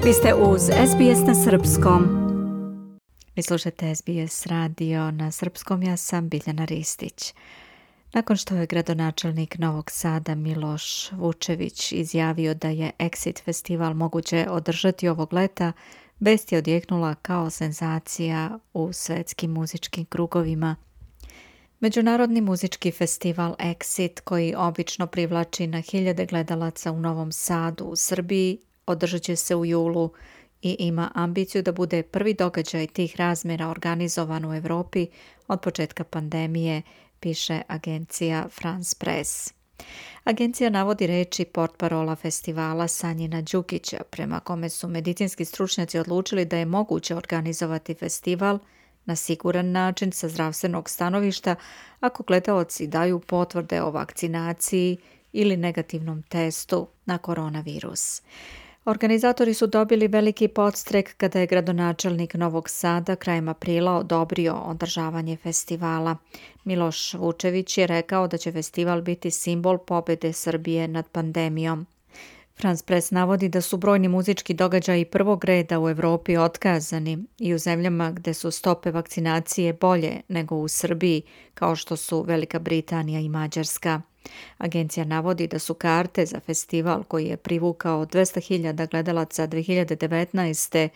Vi ste uz SBS na srpskom. Vi slušate SBS radio na srpskom, ja sam Biljana Ristić. Nakon što je gradonačelnik Novog Sada Miloš Vučević izjavio da je Exit festival moguće održati ovog leta, vest je odjeknula kao senzacija u svetskim muzičkim krugovima. Međunarodni muzički festival Exit, koji obično privlači na hiljade gledalaca u Novom Sadu u Srbiji, održat će se u julu i ima ambiciju da bude prvi događaj tih razmjera organizovan u Evropi od početka pandemije, piše agencija France Press. Agencija navodi reči portparola festivala Sanjina Đukića, prema kome su medicinski stručnjaci odlučili da je moguće organizovati festival na siguran način sa zdravstvenog stanovišta ako gledaoci daju potvrde o vakcinaciji ili negativnom testu na koronavirus. Organizatori su dobili veliki podstrek kada je gradonačelnik Novog Sada krajem aprila odobrio održavanje festivala. Miloš Vučević je rekao da će festival biti simbol pobjede Srbije nad pandemijom. France Press navodi da su brojni muzički događaji prvog reda u Evropi otkazani i u zemljama gdje su stope vakcinacije bolje nego u Srbiji, kao što su Velika Britanija i Mađarska. Agencija navodi da su karte za festival koji je privukao 200.000 gledalaca 2019.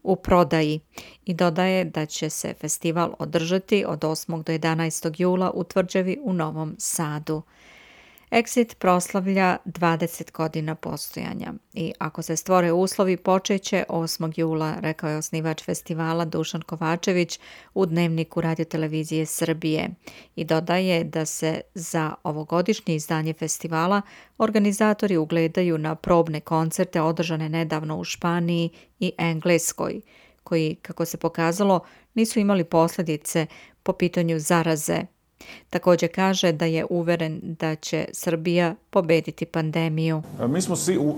u prodaji i dodaje da će se festival održati od 8. do 11. jula u tvrđavi u Novom Sadu. Exit proslavlja 20 godina postojanja i ako se stvore uslovi počeće 8. jula, rekao je osnivač festivala Dušan Kovačević u Dnevniku radiotelevizije Srbije i dodaje da se za ovogodišnje izdanje festivala organizatori ugledaju na probne koncerte održane nedavno u Španiji i Engleskoj, koji, kako se pokazalo, nisu imali posljedice po pitanju zaraze. Također kaže da je uveren da će Srbija pobediti pandemiju. Mi smo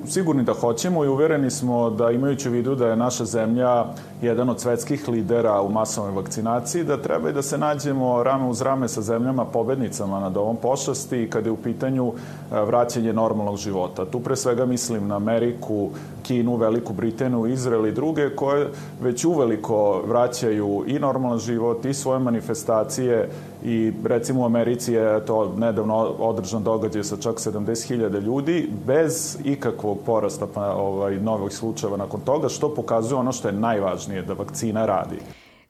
sigurni da hoćemo i uvereni smo da, imajući u vidu da je naša zemlja jedan od svetskih lidera u masovnoj vakcinaciji, da treba i da se nađemo rame uz rame sa zemljama pobednicama nad ovom pošasti kada je u pitanju vraćanje normalnog života. Tu pre svega mislim na Ameriku, Kinu, Veliku Britaniju, Izrael i druge koje već uveliko vraćaju i normalan život i svoje manifestacije i recimo u Americi je to nedavno održan događaj sa čak 70.000 ljudi bez ikakvog porasta novih slučajeva nakon toga, što pokazuje ono što je najvažnije, da vakcina radi.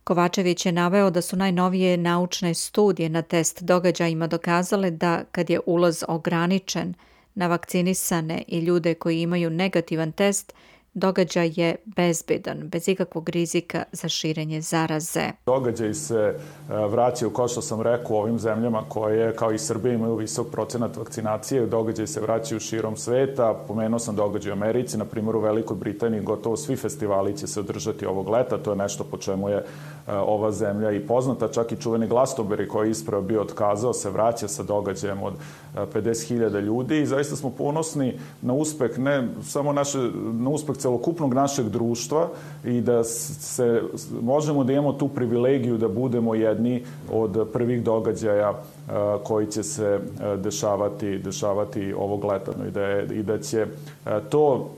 Kovačević je naveo da su najnovije naučne studije na test događajima dokazale da kad je ulaz ograničen na vakcinisane i ljude koji imaju negativan test, događaj je bezbedan, bez ikakvog rizika za širenje zaraze. Događaj se vraćaju, kao što sam rekao, u ovim zemljama koje, kao i Srbija, imaju visok procenat vakcinacije. Događaj se vraćaju širom sveta. Pomenuo sam događaj u Americi, na primjer u Velikoj Britaniji, gotovo svi festivali će se održati ovog leta. To je nešto po čemu je ova zemlja i poznata. Čak i čuveni Glastonbury koji je ispravo bio otkazao se vraća sa događajem od 50.000 ljudi i zaista smo ponosni na uspeh, ne samo na uspeh celokupnog našeg društva i da se možemo da imamo tu privilegiju da budemo jedni od prvih događaja koji će se dešavati ovog leta i da će to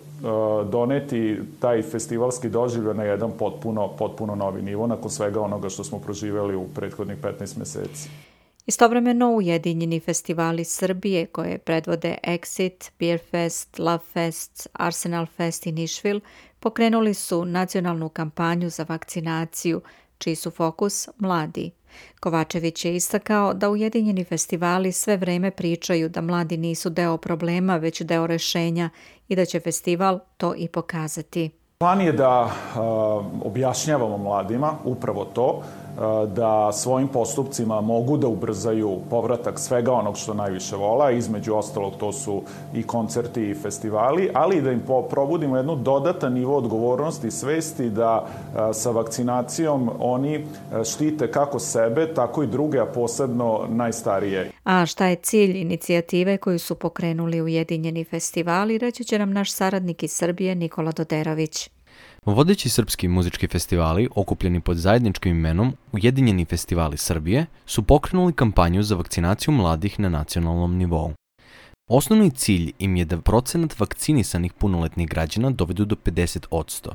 doneti taj festivalski doživljaj na jedan potpuno novi nivo nakon svega onoga što smo proživjeli u prethodnih 15 meseci. Istovremeno ujedinjeni festivali Srbije koje predvode Exit, Beer Fest, Love Fest, Arsenal Fest i Nišvil pokrenuli su nacionalnu kampanju za vakcinaciju, čiji su fokus mladi. Kovačević je istakao da ujedinjeni festivali sve vreme pričaju da mladi nisu deo problema, već deo rešenja i da će festival to i pokazati. Plan je da objašnjavamo mladima upravo to, da svojim postupcima mogu da ubrzaju povratak svega onog što najviše vola, između ostalog to su i koncerti i festivali, ali i da im probudimo jednu dodatan nivo odgovornosti i svesti da sa vakcinacijom oni štite kako sebe, tako i druge, a posebno najstarije. A šta je cilj inicijative koju su pokrenuli ujedinjeni festivali, reći će nam naš saradnik iz Srbije Nikola Doderović. Vodeći srpski muzički festivali, okupljeni pod zajedničkim imenom Ujedinjeni festivali Srbije, su pokrenuli kampanju za vakcinaciju mladih na nacionalnom nivou. Osnovni cilj im je da procenat vakcinisanih punoletnih građana dovedu do 50%.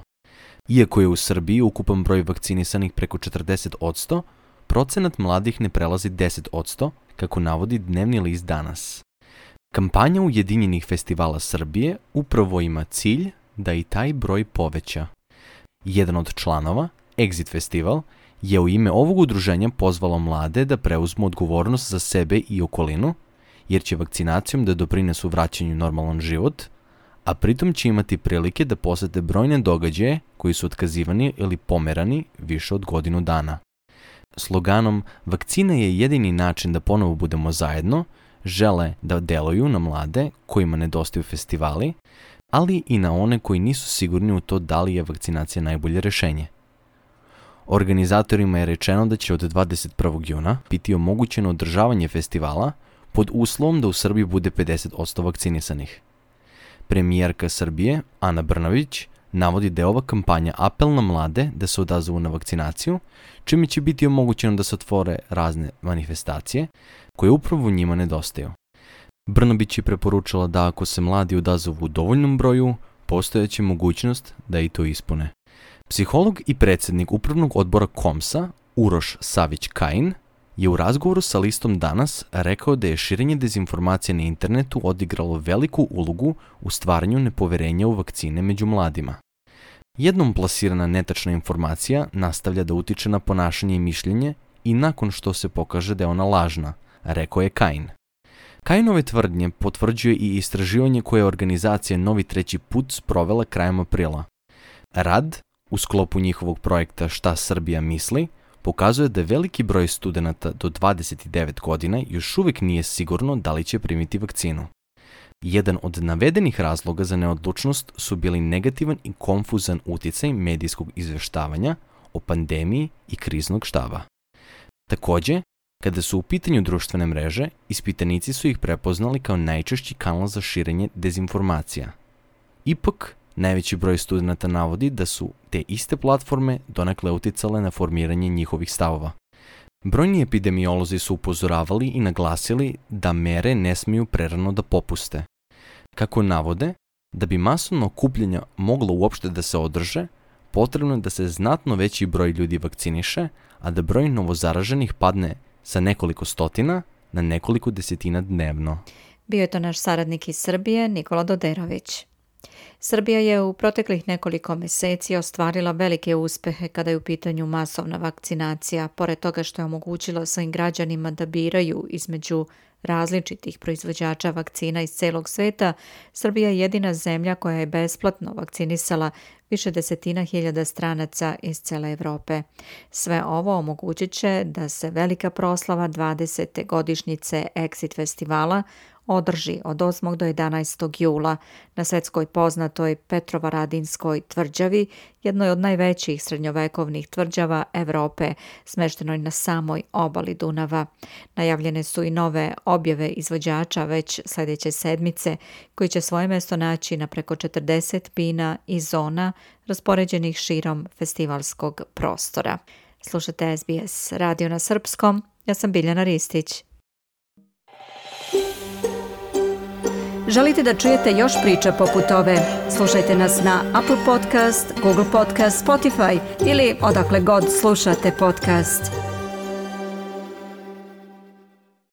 Iako je u Srbiji ukupan broj vakcinisanih preko 40%, procenat mladih ne prelazi 10%, kako navodi dnevni list Danas. Kampanja Ujedinjenih festivala Srbije upravo ima cilj da i taj broj poveća. Jedan od članova, Exit Festival, je u ime ovog udruženja pozvalo mlade da preuzmu odgovornost za sebe i okolinu, jer će vakcinacijom da doprinesu vraćanju normalan život, a pritom će imati prilike da posete brojne događaje koji su otkazivani ili pomerani više od godinu dana. Sloganom "Vakcina je jedini način da ponovo budemo zajedno" žele da deluju na mlade kojima nedostaju festivali, ali i na one koji nisu sigurni u to da li je vakcinacija najbolje rešenje. Organizatorima je rečeno da će od 21. juna biti omogućeno održavanje festivala pod uslovom da u Srbiji bude 50% vakcinisanih. Premijerka Srbije, Ana Brnabić, navodi da je ova kampanja apel na mlade da se odazovu na vakcinaciju, čime će biti omogućeno da se otvore razne manifestacije koje upravo njima nedostaju. Brnabić je preporučila da ako se mladi odazovu u dovoljnom broju, postojeće mogućnost da i to ispune. Psiholog i predsjednik upravnog odbora KOMS-a, Uroš Savić-Kajin, je u razgovoru sa listom Danas rekao da je širenje dezinformacije na internetu odigralo veliku ulogu u stvaranju nepoverenja u vakcine među mladima. Jednom plasirana netačna informacija nastavlja da utiče na ponašanje i mišljenje i nakon što se pokaže da je ona lažna, rekao je Kajin. Kajinove tvrdnje potvrđuje i istraživanje koje je organizacija Novi treći put sprovela krajem aprila. Rad, u sklopu njihovog projekta Šta Srbija misli, pokazuje da veliki broj studenata do 29 godina još uvijek nije sigurno da li će primiti vakcinu. Jedan od navedenih razloga za neodlučnost su bili negativan i konfuzan uticaj medijskog izveštavanja o pandemiji i kriznog štaba. Također, kada su u pitanju društvene mreže, ispitanici su ih prepoznali kao najčešći kanal za širenje dezinformacija. Ipak, najveći broj studenata navodi da su te iste platforme donekle uticale na formiranje njihovih stavova. Brojni epidemiolozi su upozoravali i naglasili da mere ne smiju prerano da popuste. Kako navode, da bi masovno okupljanja moglo uopšte da se održe, potrebno je da se znatno veći broj ljudi vakciniše, a da broj novozaraženih padne sa nekoliko stotina na nekoliko desetina dnevno. Bio je to naš saradnik iz Srbije, Nikola Doderović. Srbija je u proteklih nekoliko mjeseci ostvarila velike uspjehe kada je u pitanju masovna vakcinacija, pored toga što je omogućilo svojim građanima da biraju između različitih proizvođača vakcina iz celog sveta. Srbija je jedina zemlja koja je besplatno vakcinisala više desetina hiljada stranaca iz cele Evrope. Sve ovo omogućit će da se velika proslava 20. godišnjice Exit festivala održi od 8. do 11. jula na svetskoj poznatoj Petrovaradinskoj tvrđavi, jednoj od najvećih srednjovekovnih tvrđava Evrope, smeštenoj na samoj obali Dunava. Najavljene su i nove objave izvođača već sljedeće sedmice, koji će svoje mjesto naći na preko 40 bina i zona raspoređenih širom festivalskog prostora. Slušate SBS radio na srpskom, ja sam Biljana Ristić. Želite da čujete još priča poput ove? Slušajte nas na Apple Podcast, Google Podcast, Spotify ili odakle god slušate podcast.